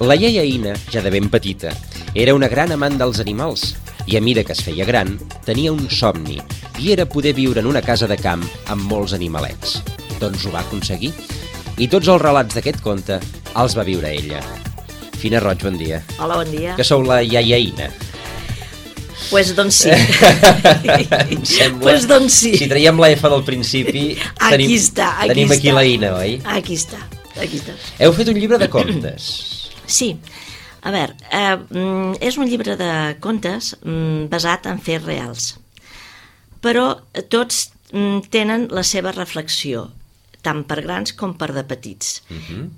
La iaia Ina, ja de ben petita, era una gran amant dels animals i a mida que es feia gran, tenia un somni i era poder viure en una casa de camp amb molts animalets. Doncs ho va aconseguir i tots els relats d'aquest conte els va viure ella. Fina Roig, bon dia. Hola, bon dia. Que sou la iaia Ina. Pues doncs sí. Em sembla... Pues doncs sí. Si traiem la F del principi, tenim aquí la Ina, oi? Aquí està. Heu fet un llibre de contes. Sí. A veure, és un llibre de contes basat en fets reals. Però tots tenen la seva reflexió, tant per grans com per de petits.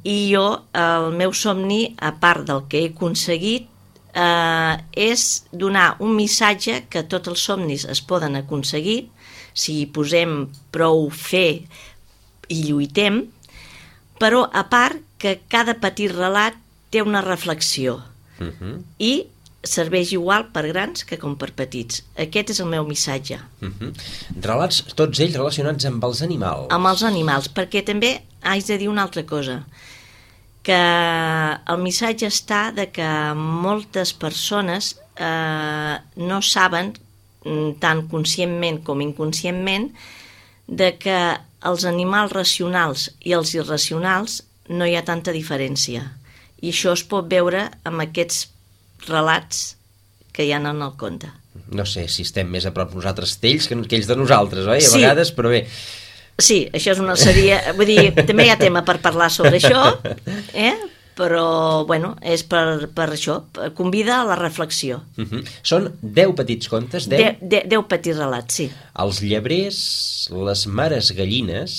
I jo, el meu somni, a part del que he aconseguit, és donar un missatge que tots els somnis es poden aconseguir si hi posem prou fe i lluitem, però a part que cada petit relat té una reflexió i serveix igual per grans que com per petits. Aquest és el meu missatge. Relats, tots ells relacionats amb els animals. Amb els animals, perquè també haig de dir una altra cosa, que el missatge està de que moltes persones no saben, tant conscientment com inconscientment, de que els animals racionals i els irracionals no hi ha tanta diferència. I això es pot veure amb aquests relats que hi ha en el conte. No sé si estem més a prop nosaltres d'ells que ells de nosaltres, oi? A vegades, però bé... Sí, això és una sèrie... Vull dir, també hi ha tema per parlar sobre això, però, bueno, és per això, convida a la reflexió. Són 10 petits contes, 10? 10 petits relats, sí. Els llebrers, les mares gallines,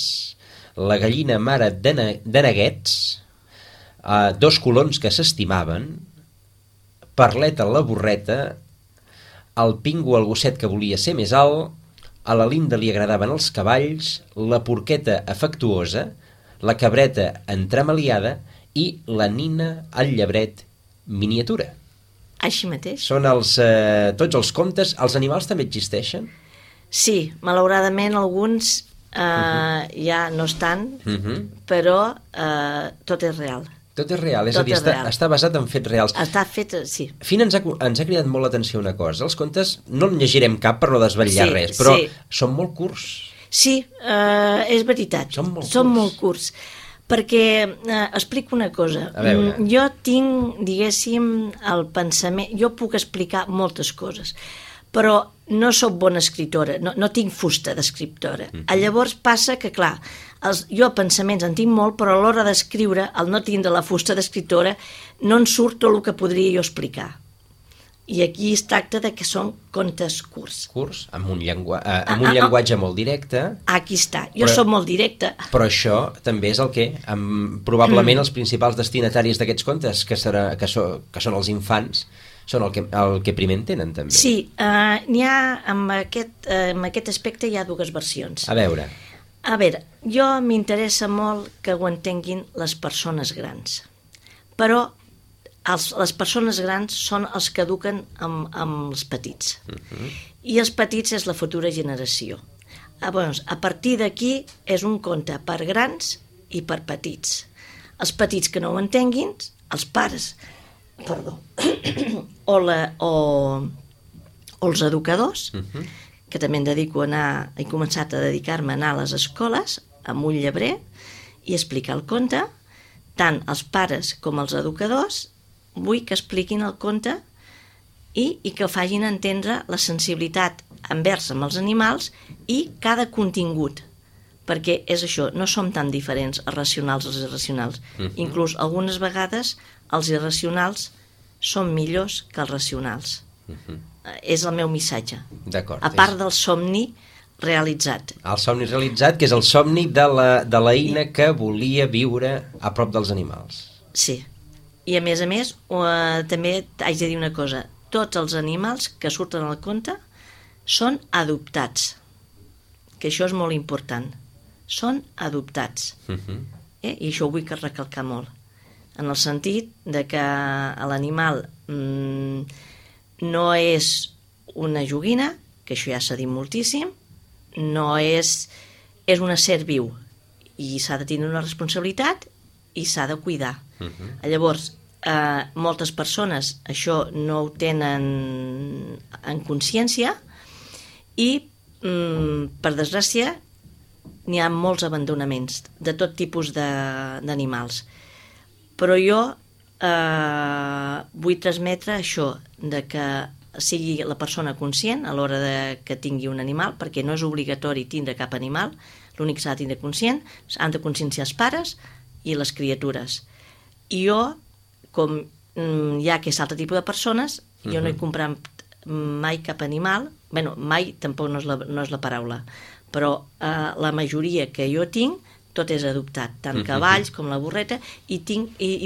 la gallina mare de neguets, 2 colons que s'estimaven, Parleta la borreta, el Pingo el gosset que volia ser més alt, a la Linda li agradaven els cavalls, la porqueta afectuosa, la cabreta entremaliada i la Nina el llebret miniatura. Així mateix. Són tots els contes. Els animals també existeixen? Sí, malauradament alguns ja no estan, però tot és real. Tot és real, és a dir, està basat en fets reals. Està fet, sí. Fina, ens ha cridat molt l'atenció una cosa. Els contes no en llegirem cap per no desvetllar res, però són molt curts. Sí, és veritat. Són molt curts. Perquè, explico una cosa. Jo tinc, diguéssim, el pensament... Jo puc explicar moltes coses, però no sóc bona escriptora, no tinc fusta d'escriptora. Llavors passa que, clar, jo pensaments en tinc molt, però a l'hora d'escriure, al no tindre la fusta d'escriptora, no en surt tot el que podria jo explicar. I aquí es tracta de que són contes curts. Curts, amb un llenguatge molt directe. Aquí està, jo soc molt directa. Però això també és el que, probablement els principals destinataris d'aquests contes, que són els infants, són el que primer entenen, també. Sí, n'hi ha, amb aquest aspecte hi ha 2 versions. A veure, jo m'interessa molt que ho entenguin les persones grans, però les persones grans són els que eduquen amb els petits, i els petits és la futura generació. A partir d'aquí és un conte per grans i per petits. Els petits que no ho entenguin, els pares, o els educadors, que també he començat a dedicar-me a anar a les escoles amb un llebrer i explicar el conte, tant els pares com els educadors vull que expliquin el conte i que facin entendre la sensibilitat envers amb els animals i cada contingut, perquè és això, no som tan diferents els racionals i els irracionals. Inclús algunes vegades els irracionals són millors que els racionals. És el meu missatge. D'acord. A part del somni realitzat. El somni realitzat, que és el somni de la Ina que volia viure a prop dels animals. Sí. I a més, també haig de dir una cosa. Tots els animals que surten al conte són adoptats. Que això és molt important. Són adoptats. I això ho vull recalcar molt. En el sentit de que l'animal no és una joguina, que això ja s'ha dit moltíssim, no és un ésser viu i s'ha de tenir una responsabilitat i s'ha de cuidar. Llavors, moltes persones això no ho tenen en consciència i, per desgràcia, n'hi ha molts abandonaments de tot tipus d'animals. Però jo vull transmetre això, de que sigui la persona conscient a l'hora que tingui un animal, perquè no és obligatori tindre cap animal, l'únic que s'ha de tindre conscient, han de conscienciar els pares i les criatures. I jo, com hi ha aquest altre tipus de persones, jo no he comprat mai cap animal, bueno, mai tampoc no és la paraula, però la majoria que jo tinc, tot és adoptat, tant cavalls com la burreta, i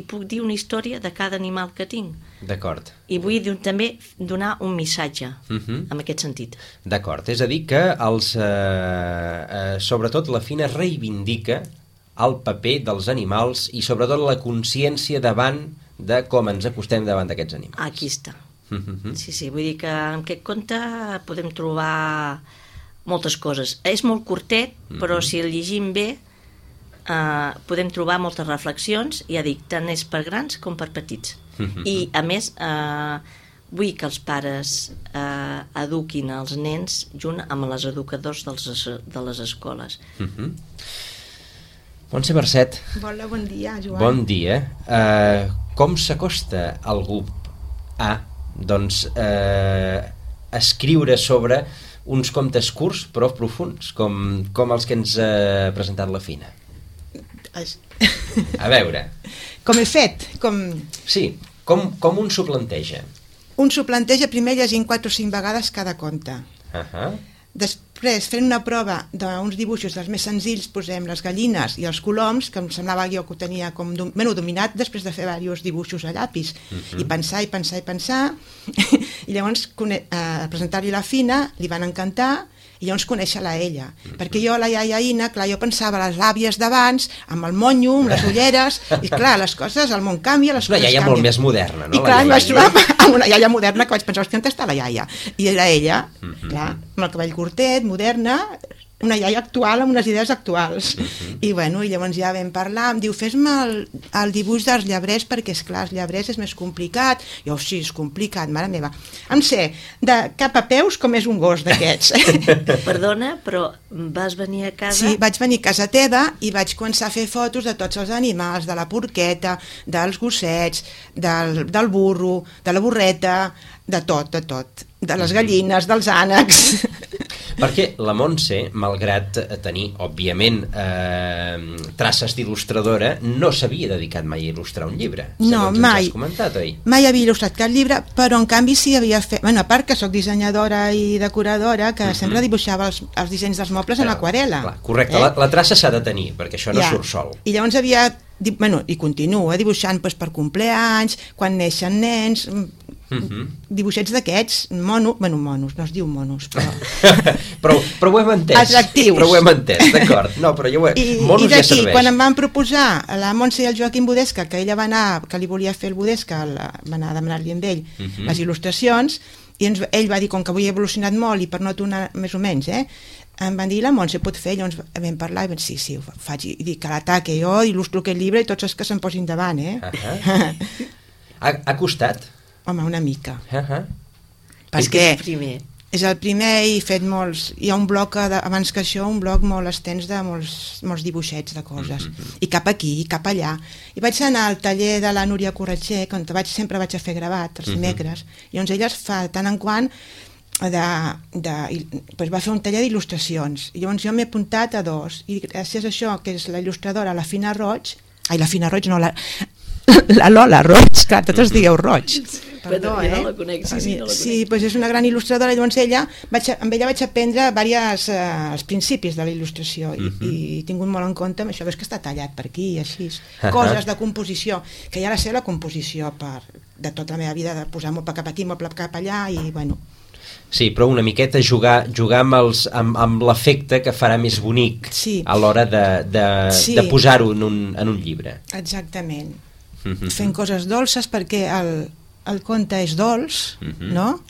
puc dir una història de cada animal que tinc. D'acord. I vull també donar un missatge en aquest sentit. D'acord, és a dir que sobretot la Fina reivindica el paper dels animals i sobretot la consciència davant de com ens acostem davant d'aquests animals. Aquí està. Sí, vull dir que en aquest conte podem trobar moltes coses. És molt curtet, però si el llegim bé podem trobar moltes reflexions, ja dic, tant és per grans com per petits. I a més vull que els pares eduquin els nens junt amb els educadors de les escoles. Montse Barcet. Hola, bon dia, Joan. Bon dia. Com s'acosta algú a escriure sobre uns contes curts però profunds, com els que ens ha presentat la Fina? A veure. Com he fet? Sí, com un s'ho planteja? Un s'ho planteja primer llegint 4 o 5 vegades cada conte. Després, fent una prova d'uns dibuixos dels més senzills, posem les gallines i els coloms, que em semblava jo que ho tenia com dominat després de fer diversos dibuixos a llapis, i pensar, i llavors presentar-li la Fina, li van encantar, i llavors conèixer-la a ella, perquè jo, la iaia Ina, clar, jo pensava les àvies d'abans, amb el monyo, amb les ulleres, i clar, les coses, el món canvia, les coses canvien. Una iaia molt més moderna, no? I clar, em vaig trobar amb una iaia moderna que vaig pensar, hòstia, on està la iaia? I era ella, clar, amb el cabell curtet, moderna, una iaia actual amb unes idees actuals. I bueno, i llavors ja vam parlar, em diu, fes-me el dibuix dels llebrers, perquè esclar, els llebrers és més complicat. Jo, sí, és complicat, mare meva. Em sé, de cap a peus com és un gos d'aquests. Perdona, però vas venir a casa? Sí, vaig venir a casa teva i vaig començar a fer fotos de tots els animals, de la porqueta, dels gossets, del burro, de la burreta, de tot, de les gallines, dels ànecs. Perquè la Montse, malgrat tenir, òbviament, traces d'il·lustradora, no s'havia dedicat mai a il·lustrar un llibre. No, mai. Has comentat, oi? Mai havia il·lustrat cap llibre, però en canvi sí havia fet... Bueno, a part que sóc dissenyadora i decoradora, que sempre dibuixava els dissenys dels mobles en aquarel·la. Correcte, la traça s'ha de tenir, perquè això no surt sol. I llavors havia... Bueno, i continua dibuixant per compleanys, quan neixen nens... dibuixets d'aquests, monos, no es diu monos, però ho hem entès. Atractius. Però ho hem entès, d'acord. No, però monos ja serveix. I quan em van proposar la Montse i el Joaquim Budesca, que ella va anar, que li volia fer el Budesca, va anar a demanar-li amb ell les il·lustracions, i ell va dir, com que avui he evolucionat molt i per no tornar més o menys, em van dir, la Montse pot fer, llavors vam parlar i vam dir, sí, ho faig, i dic que l'ataque, jo il·lustro aquest llibre i tots els que se'n posin davant, Ha costat? Home, una mica. Perquè és el primer i he fet molts... Hi ha un bloc, abans que això, un bloc molt extens de molts dibuixets de coses. I cap aquí, i cap allà. I vaig anar al taller de la Núria Corretxer, on sempre vaig a fer gravat, els dimecres, i llavors ella fa tant en quant va fer un taller d'il·lustracions. I llavors jo m'he apuntat a 2. I gràcies a això, que és la il·lustradora, la Fina Roig... Ai, la Fina Roig no, la Lola Roig, clar, tots els digueu Roig. Perdó, no la conec, sí, no la conec. Sí, doncs és una gran il·lustradora, llavors amb ella vaig aprendre els principis de la il·lustració i he tingut molt en compte això, veus que està tallat per aquí i així, coses de composició, que ja la sé la composició de tota la meva vida, de posar moble cap aquí, moble cap allà i bueno... Sí, però una miqueta jugar amb l'efecte que farà més bonic a l'hora de posar-ho en un llibre. Exactament. Fent coses dolces perquè el conte és dolç, no?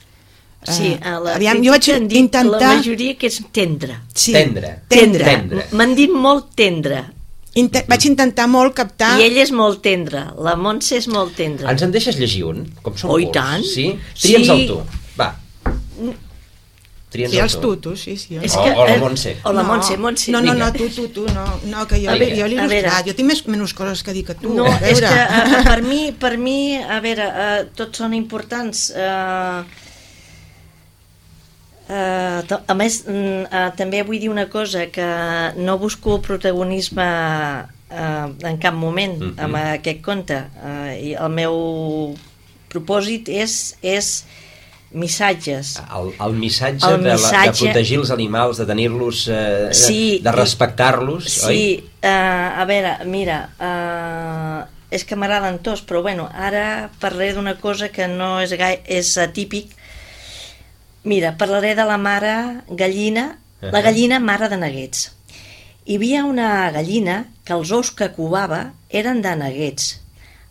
Sí, jo vaig intentar... La majoria que és tendre. Sí. Tendre. Tendre. M'han dit molt tendre. Vaig intentar molt captar... I ell és molt tendre, la Montse és molt tendra. Ens en deixes llegir un? Com són Oh, i curts? tant. Sí? Tria'ns-el tu, va. Sí, els tutos, sí. O la Montse. O la Montse. No, tu, no, que jo l'he il·lustrat. Jo tinc menys coses que dir que tu. No, és que per mi, a veure, tots són importants. A més, també vull dir una cosa, que no busco protagonisme en cap moment amb aquest conte. I el meu propòsit és missatges. El missatge de protegir els animals, de tenir-los, de respectar-los, oi? Sí, a veure, mira, és que m'agraden tots, però bueno, ara parlaré d'una cosa que no és atípic. Mira, parlaré de la mare gallina, la gallina mare de neguets. Hi havia una gallina que els ous que covava eren de neguets.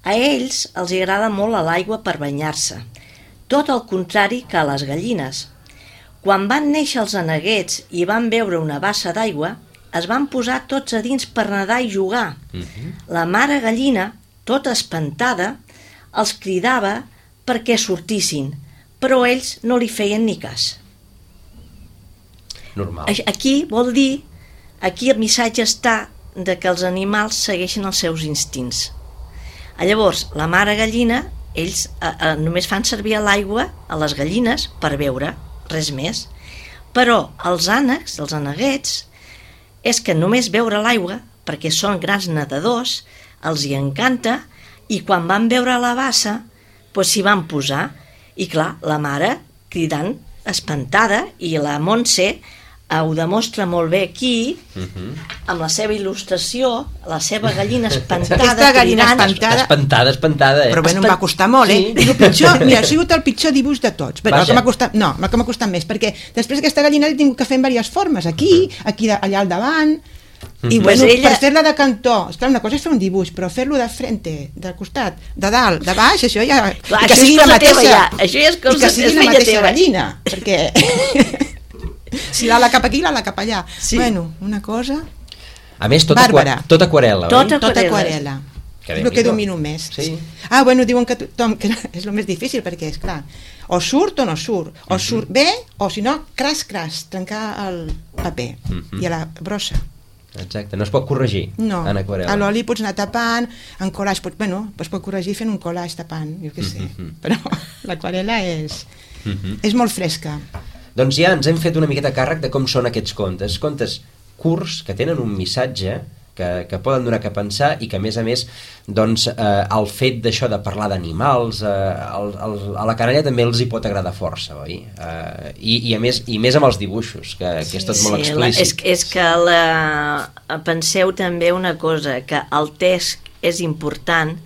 A ells els agrada molt a l'aigua per banyar-se, tot el contrari que a les gallines. Quan van néixer els neguets i van veure una bassa d'aigua, es van posar tots a dins per nedar i jugar. La mare gallina, tota espantada, els cridava perquè sortissin, però ells no li feien ni cas. Normal. Aquí vol dir, aquí el missatge està de que els animals segueixen els seus instints. Llavors, la mare gallina, ells només fan servir l'aigua a les gallines per beure, res més. Però els ànecs, els aneguets, és que només beure l'aigua, perquè són grans nedadors, els hi encanta, i quan van veure la bassa, doncs s'hi van posar. I clar, la mare cridant, espantada, i la Montse ho demostra molt bé aquí, amb la seva il·lustració, la seva gallina espantada. Aquesta gallina espantada. Espantada. Però bueno, em va costar molt, eh? I el pitjor, mira, ha sigut el pitjor dibuix de tots. El que m'ha costat més, perquè després aquesta gallina l'he tingut que fer en diverses formes, aquí, allà al davant, i bueno, per fer-la de cantó, esclar, una cosa és fer un dibuix, però fer-lo de frente, del costat, de dalt, de baix, això ja... Clar, que sigui la mateixa, això ja és cosa que sigui la mateixa gallina, perquè si l'ala cap aquí, l'ala cap allà. Bueno, una cosa... A més, tot aquarel·la, oi? Tot aquarel·la. És el que domino més. Bueno, diuen que tothom, que és el més difícil, perquè, esclar, o surt o no surt, o surt bé, o si no, cras, trencar el paper i a la brossa. Exacte, no es pot corregir en aquarel·la. A l'oli pots anar tapant, en collage es pot corregir fent un collage tapant, jo què sé, però l'aquarel·la és molt fresca. Doncs ja ens hem fet una miqueta càrrec de com són aquests contes curts que tenen un missatge que poden donar que pensar i que a més doncs el fet d'això de parlar d'animals a la canalla també els hi pot agradar força, oi? I més amb els dibuixos, que és tot molt explícit. És que penseu també una cosa, que el text és important,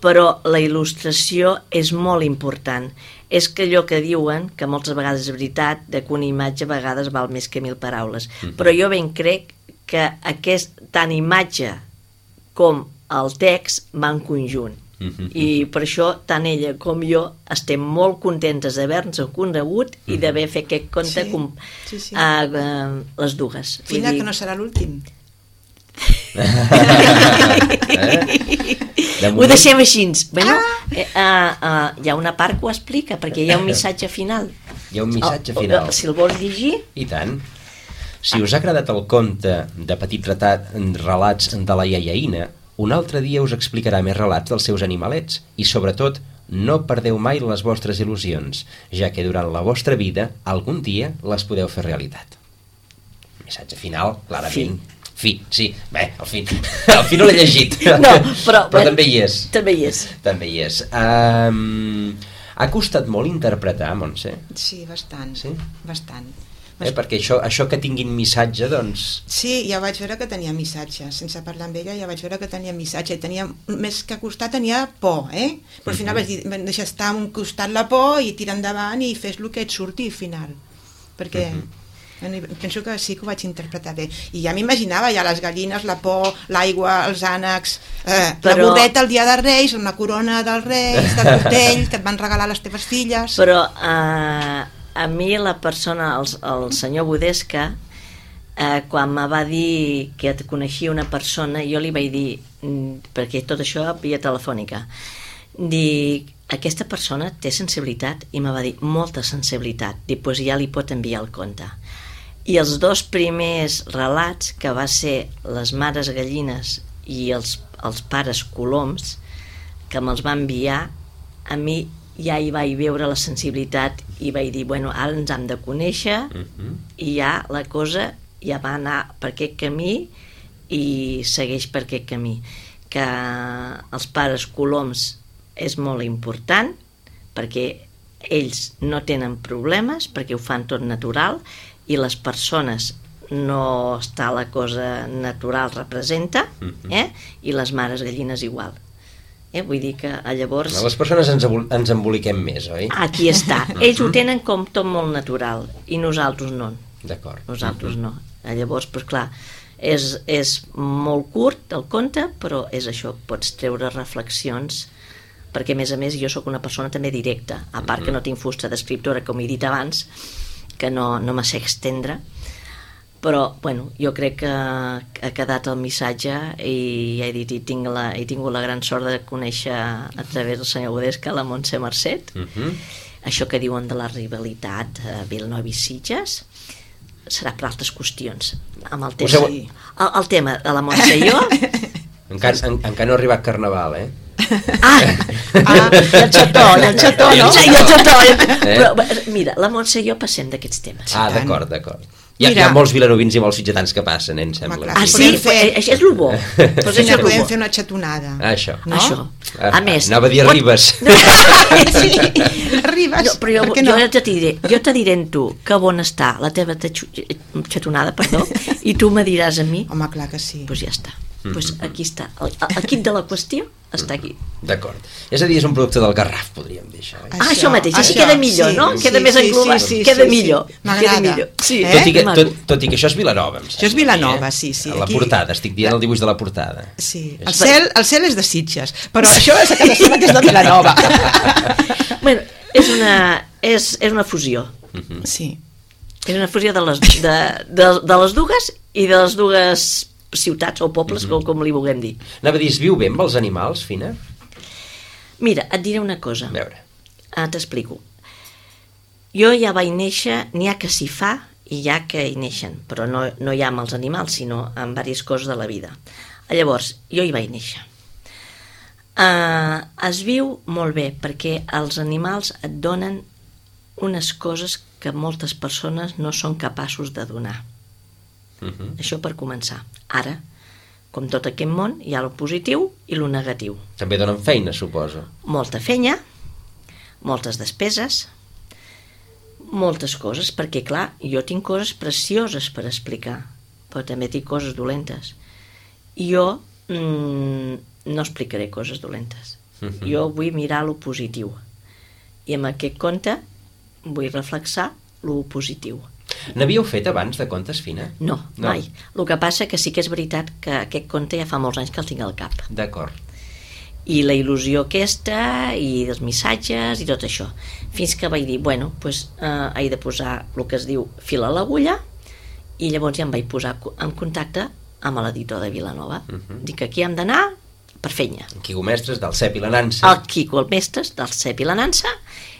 però la il·lustració és molt important. És que allò que diuen, que moltes vegades és veritat, que una imatge a vegades val més que 1000 paraules, però jo ben crec que tant imatge com el text van conjunt. I per això tant ella com jo estem molt contentes d'haver-nos conegut i d'haver fet aquest conte les dues. Fina, que no serà l'últim. Ho deixem així. Bueno, hi ha una part que ho explica, perquè hi ha un missatge final. Hi ha un missatge final. Si el vols llegir... I tant. Si us ha agradat el conte de petits relats de la iaiaïna, un altre dia us explicarà més relats dels seus animalets i, sobretot, no perdeu mai les vostres il·lusions, ja que durant la vostra vida algun dia les podeu fer realitat. Missatge final, clarament. Fi, sí. Bé, al fi no l'he llegit. No, però també hi és. També hi és. També hi és. Ha costat molt interpretar, Montse? Sí, bastant. Sí? Bastant. Perquè això que tinguin missatge, doncs... Sí, ja vaig veure que tenia missatge. Sense parlar amb ella ja vaig veure que tenia missatge. Més que costar tenia por, Però al final vaig dir, deixa estar a un costat la por i tirar endavant i fes el que et surti al final. Perquè penso que sí que ho vaig interpretar bé. I ja m'imaginava ja les gallines, la por, l'aigua, els ànecs, la borreta el dia de Reis, una corona dels Reis, del costell que et van regalar les teves filles... Però... a mi la persona, el senyor Budesca, quan me va dir que et coneixia una persona, jo li vaig dir, perquè tot això via telefònica, dir, aquesta persona té sensibilitat? I me va dir, molta sensibilitat. Dic, doncs ja li pot enviar el conte. I els 2 primers relats, que va ser les mares gallines i els pares coloms, que me'ls va enviar, a mi ja hi vaig veure la sensibilitat i vaig dir, bueno, ara ens hem de conèixer, i ja la cosa ja va anar per aquest camí i segueix per aquest camí. Que els pares coloms és molt important, perquè ells no tenen problemes, perquè ho fan tot natural, i les persones no està la cosa natural representa, i les mares gallines igual. Vull dir que llavors... Les persones ens emboliquem més, oi? Aquí està. Ells ho tenen com tot molt natural, i nosaltres no. D'acord. Nosaltres no. Llavors, doncs clar, és molt curt el conte, però és això, pots treure reflexions, perquè a més jo sóc una persona també directa, a part que no tinc fusta d'escriptora, com he dit abans, que no me sé extendre, però bueno, jo crec que ha quedat el missatge, i ja he dit, he tingut la gran sort de conèixer a través del senyor Godesca la Montse Marcet. Això que diuen de la rivalitat Vilanova i Sitges serà per altres qüestions. Amb el tema, el tema de la Montse i jo... Encara no ha arribat Carnaval, eh? I el xató, no? I el xató. Però, mira, la Montse i jo passem d'aquests temes. D'acord. Hi ha molts vilanovins i molts sitgetans que passen, em sembla. Sí? Això és el bo. Senyora, podem fer una xatonada. Això. A més... Anava a dir Ribes. Sí, Ribes. Però jo te diré en tu que bon està la teva xatonada, i tu me diràs a mi. Home, clar que sí. Doncs ja està. Doncs aquí està. El quid de la qüestió està aquí. D'acord. És a dir, és un producte del Garraf, podríem dir això. Això mateix, així queda millor, no? Queda més englobat, queda millor. M'agrada. Tot i que això és Vilanova. Això és Vilanova, sí. A la portada, estic dient el dibuix de la portada. Sí, el cel és de Sitges, però això és a casa seva que és de Vilanova. Bueno, és una fusió. Sí. És una fusió de les dues i de les dues ciutats o pobles, com li vulguem dir. Anava a dir, es viu bé amb els animals, Fina? Mira, et diré una cosa. A veure. T'explico. Jo ja vaig néixer, n'hi ha que s'hi fa i hi ha que hi neixen, però no hi ha amb els animals, sinó amb diverses coses de la vida. Llavors, jo hi vaig néixer. Es viu molt bé, perquè els animals et donen unes coses que moltes persones no són capaços de donar. Això per començar. Ara, com tot aquest món, hi ha el positiu i el negatiu. També donen feina, suposo. Molta feina, moltes despeses, moltes coses, perquè clar, jo tinc coses precioses per explicar, però també tinc coses dolentes. Jo no explicaré coses dolentes. Jo vull mirar lo positiu. I amb aquest conte vull reflexar lo positiu. N'havíeu fet abans de contes, Fina? No, mai. El que passa que sí que és veritat que aquest conte ja fa molts anys que el tinc al cap. D'acord. I la il·lusió aquesta, i els missatges, i tot això. Fins que vaig dir, bueno, doncs he de posar el que es diu fil a l'agulla, i llavors ja em vaig posar en contacte amb l'editor de Vilanova. Dic que aquí hem d'anar per feina. El Quico Mestres del Cep i la Nansa. El Quico Mestres del Cep i la Nansa.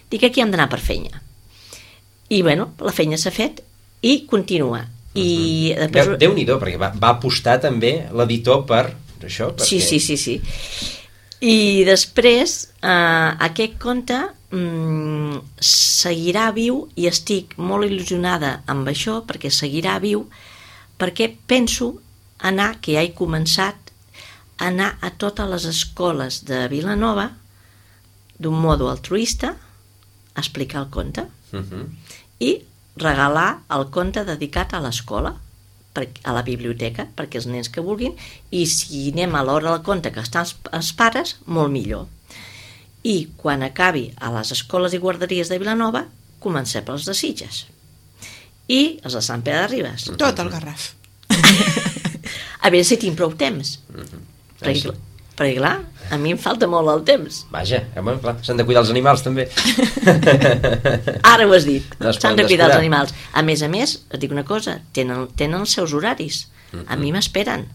Dic que aquí hem d'anar per feina. I bueno, la feina s'ha fet i continua. Déu-n'hi-do, perquè va apostar també l'editor per això. Sí. I després aquest conte seguirà viu, i estic molt il·lusionada amb això, perquè seguirà viu, perquè penso anar, que ja he començat, a anar a totes les escoles de Vilanova d'un modo altruista a explicar el conte. I regalar el conte dedicat a l'escola, a la biblioteca, perquè els nens que vulguin, i si anem a l'hora del conte que estan els pares, molt millor. I quan acabi a les escoles i guarderies de Vilanova, comencem pels de Sitges. I els de Sant Pere de Ribes. Tot el Garraf. A veure si tinc prou temps. perquè clar, a mi em falta molt el temps. Vaja, clar, s'han de cuidar els animals també. Ara ho has dit, No es s'han poden de cuidar descuidar. els animals. A més, et dic una cosa, tenen els seus horaris. A mi m'esperen.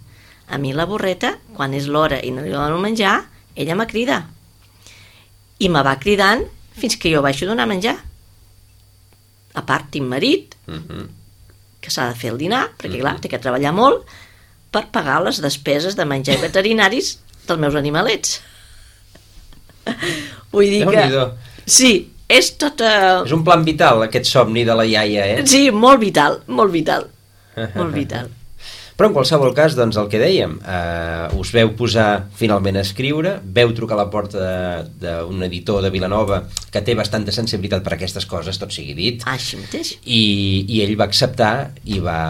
A mi la burreta, quan és l'hora i no li dono menjar, ella me crida. I me va cridant fins que jo vaig donar menjar. A part, tinc marit, que s'ha de fer el dinar, perquè clar, té que treballar molt per pagar les despeses de menjar i veterinaris dels meus animalets. Vull dir que... Déu-n'hi-do. Sí, és tota... És un plan vital, aquest somni de la iaia, Sí, molt vital, molt vital. Molt vital. Però en qualsevol cas, doncs el que dèiem, us veu posar finalment a escriure, veu trucar a la porta d'un editor de Vilanova que té bastanta sensibilitat per aquestes coses, tot sigui dit, Així mateix. i ell va acceptar i va,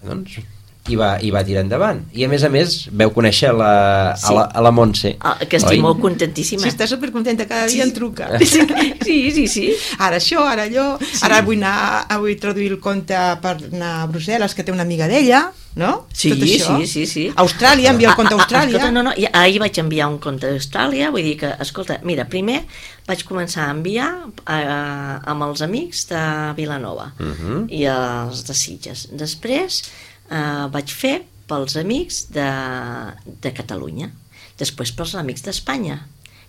doncs, i va tirar endavant. I a més veu conèixer Sí. a la Montse. Que estic oi? molt contentíssima. Sí, està supercontenta, cada dia em truca. Sí. Ara això, ara allò, ara vull traduir el conte per anar a Brussel·les, que té una amiga d'ella, no? Sí, Tot això. sí. Austràlia, envia el conte a Austràlia. Escolta, no, ahir vaig enviar un conte d'Austràlia, vull dir que, escolta, mira, primer vaig començar a enviar amb els amics de Vilanova i els de Sitges. Després vaig fer pels amics de Catalunya, després pels amics d'Espanya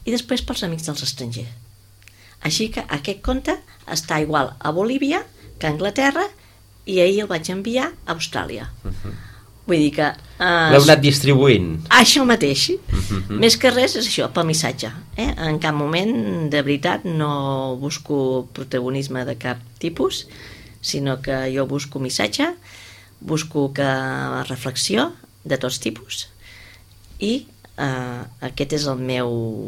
i després pels amics dels estrangers. Així que aquest conte està igual a Bolívia que a Anglaterra i ahir el vaig enviar a Austràlia. Vull dir que... L'heu anat distribuint. Això mateix. Més que res és això, pel missatge. En cap moment, de veritat, no busco protagonisme de cap tipus, sinó que jo busco missatge, busco reflexió de tots tipus i aquest és el meu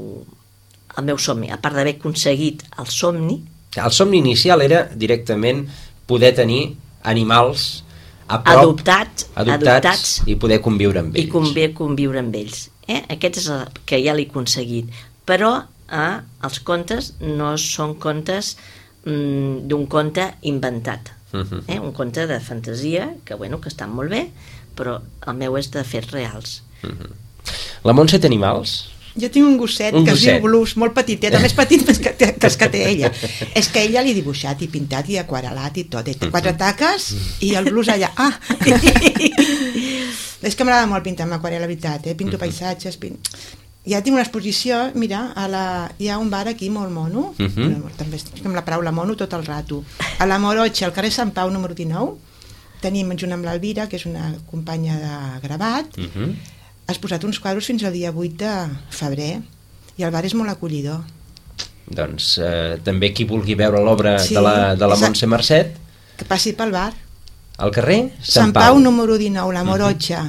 somni. A part d'haver aconseguit el somni... El somni inicial era directament poder tenir animals a prop, adoptats i poder conviure amb ells. I conviure amb ells. Aquest és el que ja l'he aconseguit. Però els contes no són contes d'un conte inventat. Un conte de fantasia que estan molt bé, però el meu és de fets reals. La Montse té animals? Jo tinc un gosset que es diu Blues, molt petitet, més petit que els que té ella. És que ella l'he dibuixat i pintat i aquarelat i tot. Té 4 taques i el Blues allà. És que m'agrada molt pintar amb aquarel·la, la veritat. Pinto paisatges, ja tinc una exposició, mira, hi ha un bar aquí molt mono, també amb la paraula mono tot el rato. A la Morotxa, al carrer Sant Pau número 19, tenim junt amb l'Alvira, que és una companya de gravat, has posat uns quadres fins al dia 8 de febrer i el bar és molt acollidor. Doncs també qui vulgui veure l'obra de la Montse Marcet, que passi pel bar. Al carrer Sant Pau número 19, la Morotxa.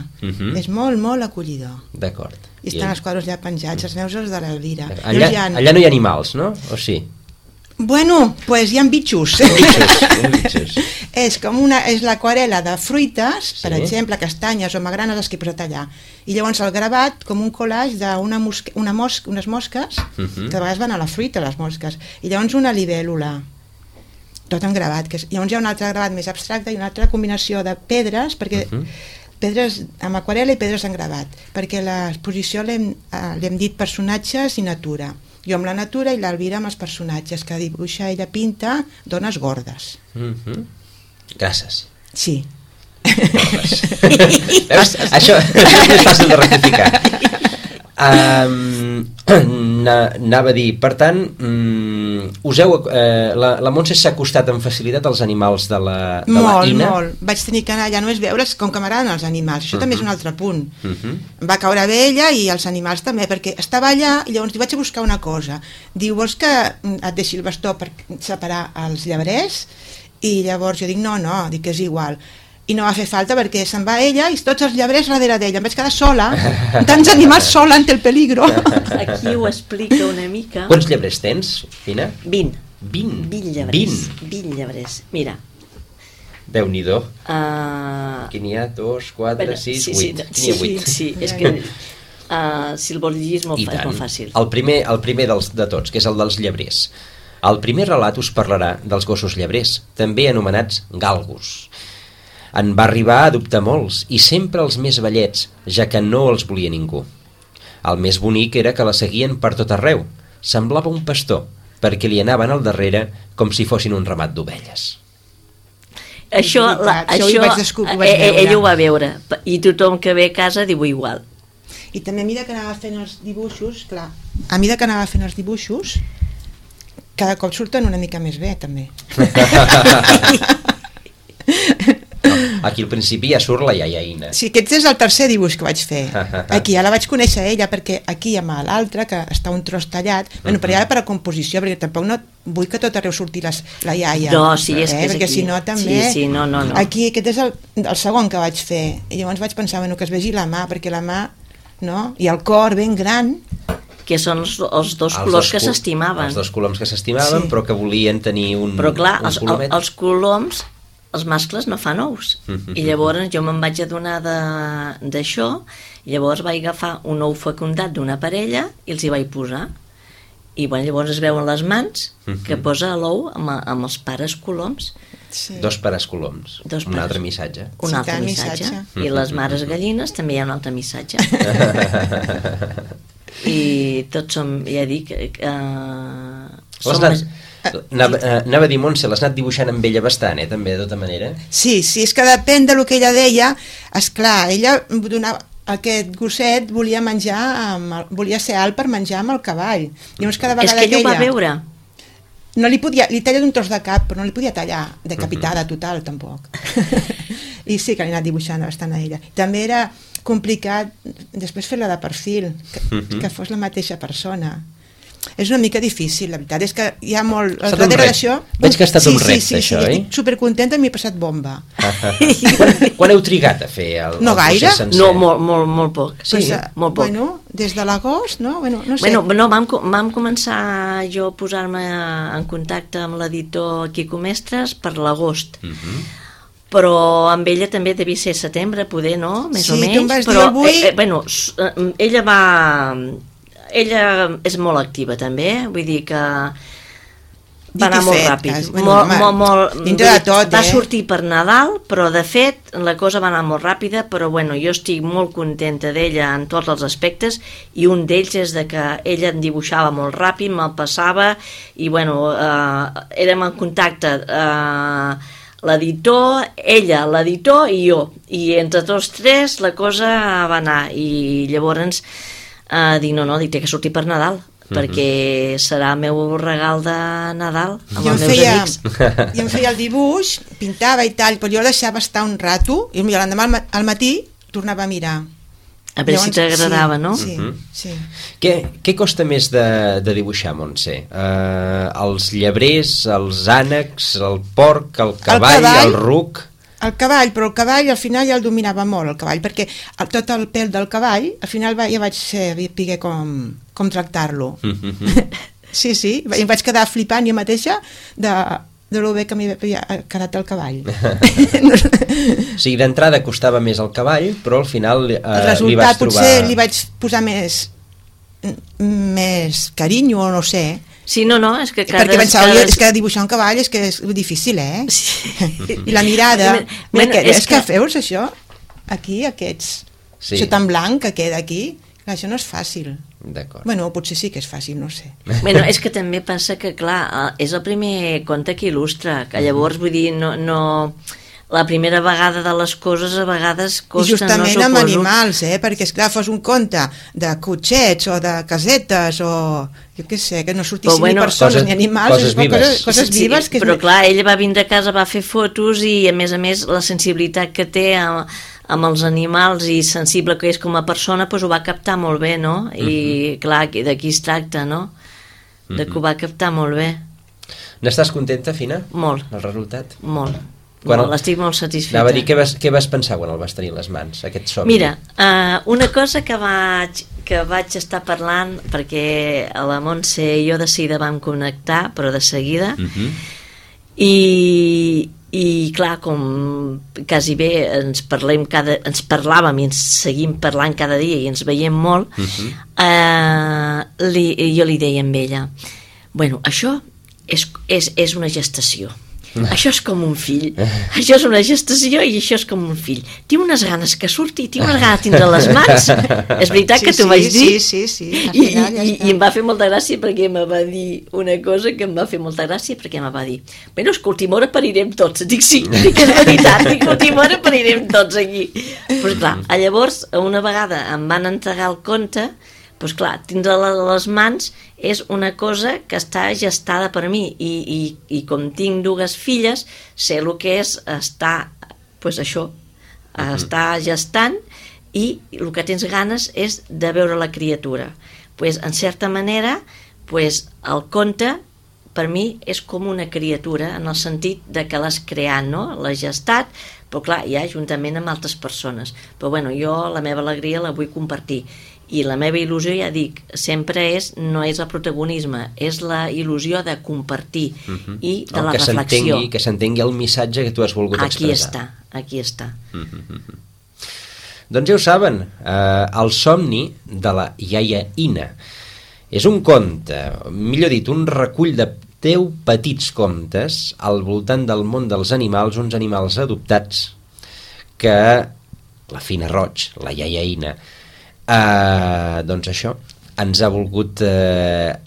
És molt, molt acollidor. D'acord. I estan els quadres ja penjats, els meus els de l'Elvira. Allà no hi ha animals, no? O sí? Bueno, pues hi ha bitxos. Bitxos. És l'aquarel·la de fruites, per exemple, castanyes o magranes, les que he posat allà. I llavors el gravat com un collage d'unes mosques, que de vegades van a la fruita, les mosques. I llavors una libèl·lula. Tot en gravat. Llavors hi ha un altre gravat més abstracte i una altra combinació de pedres, perquè pedres amb aquarel·la i pedres en gravat, perquè l'exposició l'hem dit personatges i natura. Jo amb la natura i l'Alvira amb els personatges, que dibuixa, ella pinta dones gordes. Gràcies. Sí. Això és més fàcil de rectificar. Anava a dir, per tant, la Montse s'ha acostat amb facilitat als animals de la Ina? Molt. Vaig tenir que anar allà només veure's com que m'agraden els animals. Això també és un altre punt. Em va caure bé ella i els animals també, perquè estava allà i llavors vaig a buscar una cosa. Diu, vols que et deixi el bastó per separar els llebrers? I llavors jo dic, no, dic que és igual. I no va fer falta perquè se'n va ella i tots els llebrers darrere d'ella. Em vaig quedar sola, tants animals sola ante el peligro. Aquí ho explica una mica. Quants llebrers tens, Ina? 20. 20 llebrers. 20 llebrers. Mira. Déu-n'hi-do. Aquí n'hi ha 2, 4, 6, 8. Sí, és que si el vols llegir és molt fàcil. El primer de tots, que és el dels llebrers. El primer relat us parlarà dels gossos llebrers, també anomenats galgos. En va arribar a adoptar molts, i sempre els més vellets, ja que no els volia ningú. El més bonic era que la seguien per tot arreu. Semblava un pastor, perquè li anaven al darrere com si fossin un ramat d'ovelles. Això ell ho va veure, i tothom que ve a casa diu igual. I també a mesura que anava fent els dibuixos, clar, a mesura que anava fent els dibuixos, cada cop surten una mica més bé, també. Aquí al principi ja surt la iaia Ina. Sí, aquest és el tercer dibuix que vaig fer. Aquí ja la vaig conèixer ella, perquè aquí amb l'altre, que està un tros tallat, bueno, però ja per a composició, perquè tampoc no vull que tot arreu surti la iaia. No, sí, és que és perquè aquí. Si no també... Sí, no. Aquí aquest és el segon que vaig fer. I llavors vaig pensar, bueno, que es vegi la mà, perquè la mà, no? I el cor ben gran... Que són els dos colors que s'estimaven. Els dos coloms que s'estimaven, sí. Però que volien tenir un Però clar, un colomet. els coloms, els mascles no fan ous. I llavors jo me'n vaig adonar d'això, i llavors vaig agafar un ou fecundat d'una parella i els hi vaig posar. I bueno, llavors es veuen les mans que posa l'ou amb els pares coloms. Sí. Dos pares coloms. Un altre missatge. Un altre missatge. I les mares gallines també hi ha un altre missatge. I tots som, ja dic, anava a dir, Montse, l'has anat dibuixant amb ella bastant, també, de tota manera. Sí, és que depèn del que ella deia. Esclar, ella donava, aquest gosset volia menjar, volia ser alt per menjar amb el cavall. Llavors cada vegada és que ella ho va veure. No li talla d'un tros de cap, però no li podia tallar decapitada total, tampoc. I sí que l'he anat dibuixant bastant a ella. També era complicat després fer-la de perfil, que fos la mateixa persona. És una mica difícil, la veritat és que hi ha molt... Darrere d'això... Veig que ha estat un repte, això, oi? Estic supercontenta, m'hi he passat bomba. Quan heu trigat a fer el procés sencer? No, molt poc. Sí, molt poc. Bueno, des de l'agost, no? Bueno, no sé. Bueno, vam començar jo a posar-me en contacte amb l'editor Quico Mestres per l'agost. Però amb ella també devia ser setembre, poder, no? Més o menys. Sí, tu em vas dir avui... Bueno, ella és molt activa també, vull dir que va anar molt ràpid, dintre de tot, va sortir per Nadal, però de fet la cosa va anar molt ràpida, però bueno, jo estic molt contenta d'ella en tots els aspectes, i un d'ells és de que ella em dibuixava molt ràpid, me'l passava, i bueno, érem en contacte l'editor, ella, l'editor i jo, i entre tots tres la cosa va anar, i llavors dic, dic, té que sortir per Nadal, perquè serà el meu regal de Nadal amb els meus amics. Jo em feia el dibuix, pintava i tal, però jo el deixava estar un rato, i l'endemà al matí tornava a mirar. A veure si t'agradava, no? Sí. Què costa més de dibuixar, Montse? Els llebrers, els ànecs, el porc, el cavall, el ruc... El cavall, però el cavall al final ja el dominava molt, el cavall, perquè tot el pèl del cavall, al final ja vaig saber com tractar-lo. Sí, i vaig quedar flipant jo mateixa de lo bé que m'havia quedat el cavall. O sigui, d'entrada costava més el cavall, però al final li vas trobar... Potser li vaig posar més carinyo, o no sé. Sí, no, és que perquè pensava, és que dibuixar un cavall és que és difícil, Sí. I la mirada, és que feus això aquí, això tan blanc que queda aquí, això no és fàcil. D'acord. Bueno, potser sí que és fàcil, no sé. Bueno, és que també passa que, clar, és el primer conte que il·lustra, que llavors, vull dir, no... La primera vegada de les coses a vegades costa, I justament amb animals, perquè esclar, fos un conte de cotxets o de casetes o jo què sé, que no sortissin ni persones ni animals, coses vives. Però clar, ella va vindre a casa, va fer fotos i a més la sensibilitat que té amb els animals i sensible que és com a persona, doncs ho va captar molt bé, no? I clar, d'aquí es tracta, no? De que ho va captar molt bé. N'estàs contenta, Fina? Molt. El resultat? Molt. Estic molt satisfeta. Anava a dir, què vas pensar quan el vas tenir a les mans, aquest somni? Mira, una cosa que vaig estar parlant, perquè a la Montse i jo de seguida vam connectar, però de seguida, i clar, com quasi bé ens parlàvem i ens seguim parlant cada dia i ens veiem molt, jo li deia a ella, bueno, això és una gestació. Això és com un fill. Això és una gestació i això és com un fill. Tinc unes ganes que surti, tinc unes ganes de tindre les mans. És veritat que t'ho vaig dir? Sí. I em va fer molta gràcia perquè em va dir una cosa que em va fer molta gràcia perquè em va dir, bueno, és que última hora parirem tots. Dic, sí, dic, és veritat, dic, última hora parirem tots aquí. Però clar, llavors, una vegada em van entregar el conte, doncs clar, tindre les mans és una cosa que està gestada per mi i com tinc dues filles sé el que és estar doncs això, estar gestant i el que tens ganes és de veure la criatura. Doncs en certa manera el conte per mi és com una criatura en el sentit de que l'has creat, no? L'has gestat, però clar, ja juntament amb altres persones. Però bueno, jo la meva alegria la vull compartir. I la meva il·lusió, ja dic, sempre no és el protagonisme, és la il·lusió de compartir i de la reflexió. Que s'entengui el missatge que tu has volgut expressar. Aquí està. Doncs ja ho saben, El somni de la iaia Ina. És un conte, millor dit, un recull de 10 petits contes al voltant del món dels animals, uns animals adoptats que la Fina Roig, la iaia Ina, doncs això ens ha volgut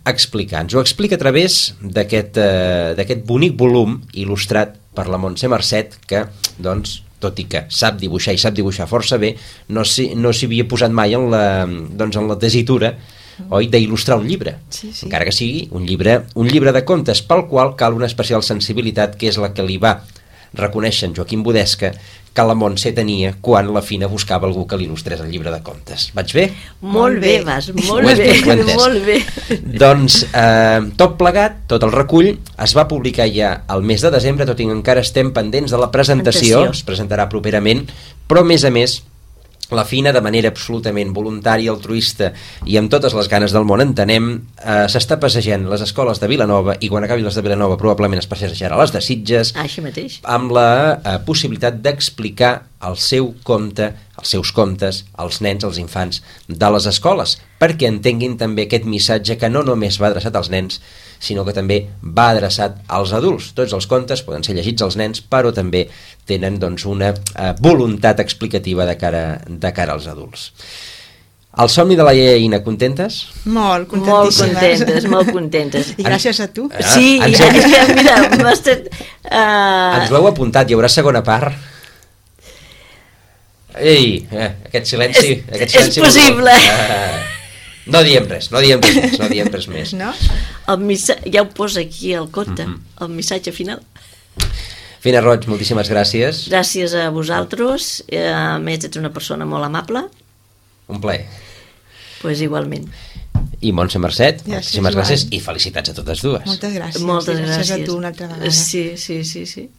explicar. Ens ho explica a través d'aquest bonic volum il·lustrat per la Montse Marcet, que doncs, tot i que sap dibuixar i sap dibuixar força bé, no s'hi havia posat mai en la tessitura, oi, d'il·lustrar un llibre, encara que sigui un llibre de contes, pel qual cal una especial sensibilitat, que és la que li va reconèixer en Joaquim Budesca que la Montse tenia quan la Fina buscava algú que l'il·lustrés el llibre de contes. Vaig bé? Molt bé, vas, molt bé. Doncs tot plegat, tot el recull, es va publicar ja al mes de desembre, tot i que encara estem pendents de la presentació, es presentarà properament, però a més, la Fina, de manera absolutament voluntària, altruista i amb totes les ganes del món, entenem, s'està passejant les escoles de Vilanova, i quan acabi les de Vilanova probablement es passejarà les de Sitges, així mateix, amb la possibilitat d'explicar el seu conte, els seus contes als nens, als infants de les escoles, perquè entenguin també aquest missatge que no només va adreçat als nens, sinó que també va adreçat als adults. Tots els contes poden ser llegits als nens, però també tenen doncs, una voluntat explicativa de cara als adults. El somni de la iaia Ina, contentes? Molt contentíssimes. Molt contentes. I gràcies a tu. Sí, mira, ens ho heu apuntat, hi haurà segona part? Ei, aquest silenci... És possible. No diem res més. No? Ja ho posa aquí al conte, el missatge final. Fina Roig, moltíssimes gràcies. Gràcies a vosaltres, a més ets una persona molt amable. Un plaer. Pues igualment. I Montse Marcet, moltíssimes gràcies i felicitats a totes dues. Moltes gràcies. Moltes gràcies. Gràcies a tu una altra vegada. Sí.